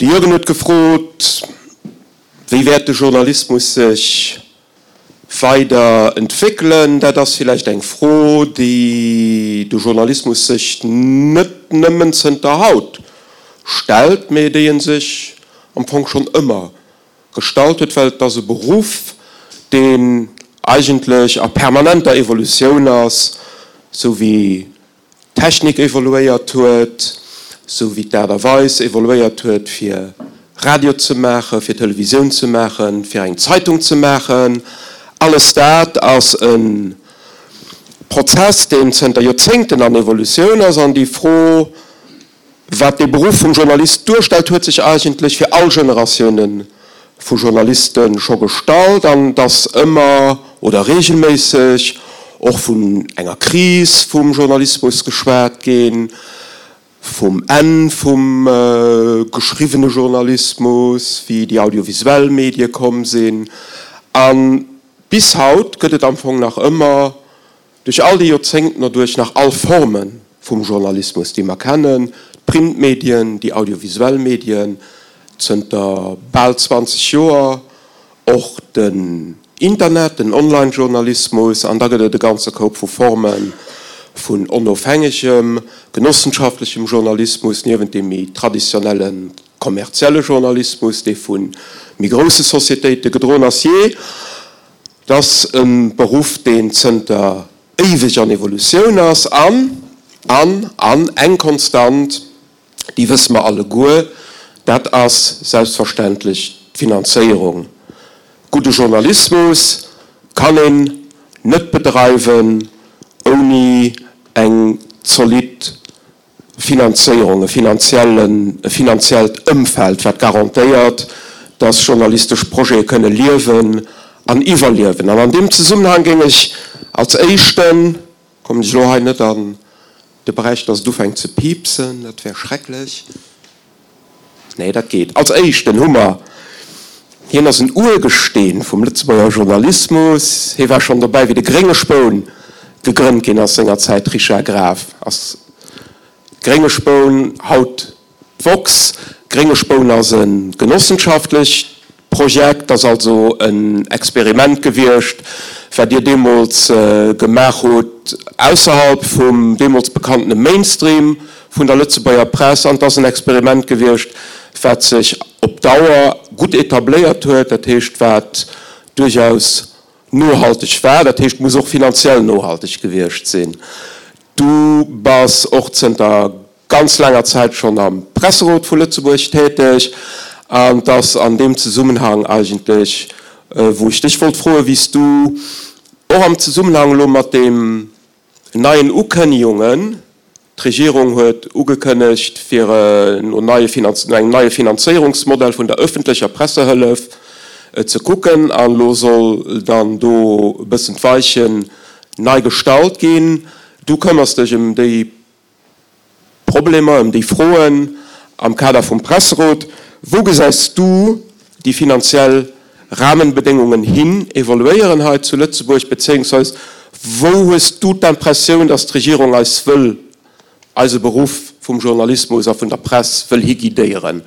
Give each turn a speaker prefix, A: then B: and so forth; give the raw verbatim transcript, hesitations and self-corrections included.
A: Jürgen huet gefrot, Wéi wäert de Journalismus sech weider entwéckelen? Dat ass villäicht eng Fro, déi de Journalismus sech net nëmmen zënter haut stellt, mee déi e sech am Fong schonn ëmmer gestallt huet, well et ass e Beruff, deen eigentlech a permanenter Evolutioun ass, sou wéi d'Technik evoluéiert huet, sou wéi d'Aart a Weis evoluéiert huet, fir Radio ze maachen, fir Televisioun ze maachen, fir eng Zeitung ze maachen. Alles dat ass e Prozess, deen zënter Joerzéngten an Evolutioun ass. An déi Fro, wat dee Beruff vum Journalist duerstellt, huet sech eigentlech fir all Generatioune vu Journaliste scho gestallt. An et ass ëmmer oder reegelméisseg och vun enger Kris vum Journalismus geschwat ginn, vum Enn vum geschriwwene Journalismus, wéi déi audiovisuell Medie komm sinn. A bis haut gëtt et am Fong nach ëmmer, duerch all déi Joerzéngten erduerch, nach all Forme vum Journalismus, déi mer kennen, d'Printmedien, déi audiovisuell Medien, zënter bal zwanzeg Joer och den Internet, den Online-Journalismus, an da gëtt et e ganze Koup vu Forme vun onofhängegem, genossenschaftlechem Journalismus, niewent deem méi traditionelle kommerzielle Journalismus, dee vu méi grousse Societéite gedroen ass. Jee, et ass e Beruff, deen zënter éiweg an Evolutioun ass an, an, an eng Konstant, déi wësse mer alleguer, dat ass selbstverständlech d'Finanzéierung. Gudde Journalismus kann een net bedreiwen ouni eng zolidd Finanzéierung, e finanziellen, e finanziellt Ëmfeld, wat garantéiert, dass journalistesch Projete kënne liewen an iwwerliewen. An an deem Zesummenhang géing ech als éischten, kommen ech elo hei net an de Beräich, dass et ufänkt ze piipsen, dat wär schrecklech, Nee, dat geet. Als éischten hu mer, hien ass en Urgesteen vum Lëtzebuerger Journalismus, hie war schonn dobäi wéi de Grénge Spoun gegrënnt ginn ass sengerzäit, Richard Graf ass Grénge Spoun, haut d'woxx. Grénge Spoun ass e genossenschaftlecht Projekt, ass also en Experiment gewiescht, wat Dir deemools gemaach hutt ausserhalb vum deemools bekannene Mainstream vun der Lëtzebuerger Press. An et ass en Experiment gewiescht, wat sech op Dauer gutt etabléiert huet, dat heescht, wat duerchaus nohalteg war, dat heescht, muss och finanziell nohalteg gewiescht sinn. Du bass och zënter ganz laanger Zäit schonn am Presserot vu Lëtzebuerg täteg an et ass an deem Zesummenhang eigentlech, wou ech dech wollt froen, wéi s du och am Zesummenhang elo mat deem neien Ukënnegungen, d'Regierung huet ugekënnegt, fir no neie no engem neie Finanzéierungsmodell vun der ëffentlecher Pressehëllef ze kucken an elo soll dann do e bëssen d'Weichen nei gestallt ginn. Du këmmers dech ëm déi Problemer, ëm déi Froen am Kader vum Presserot. Wou gesäis du déi finanziell Rahmenbedéngungen hin evoluéieren hei zu Lëtzebuerg, bezéiungsweis wou hues du d'Impressioun, datt d'Regierung eis wëll, eise Beruff vum Journalismus a vun der Press wëll higuidéieren?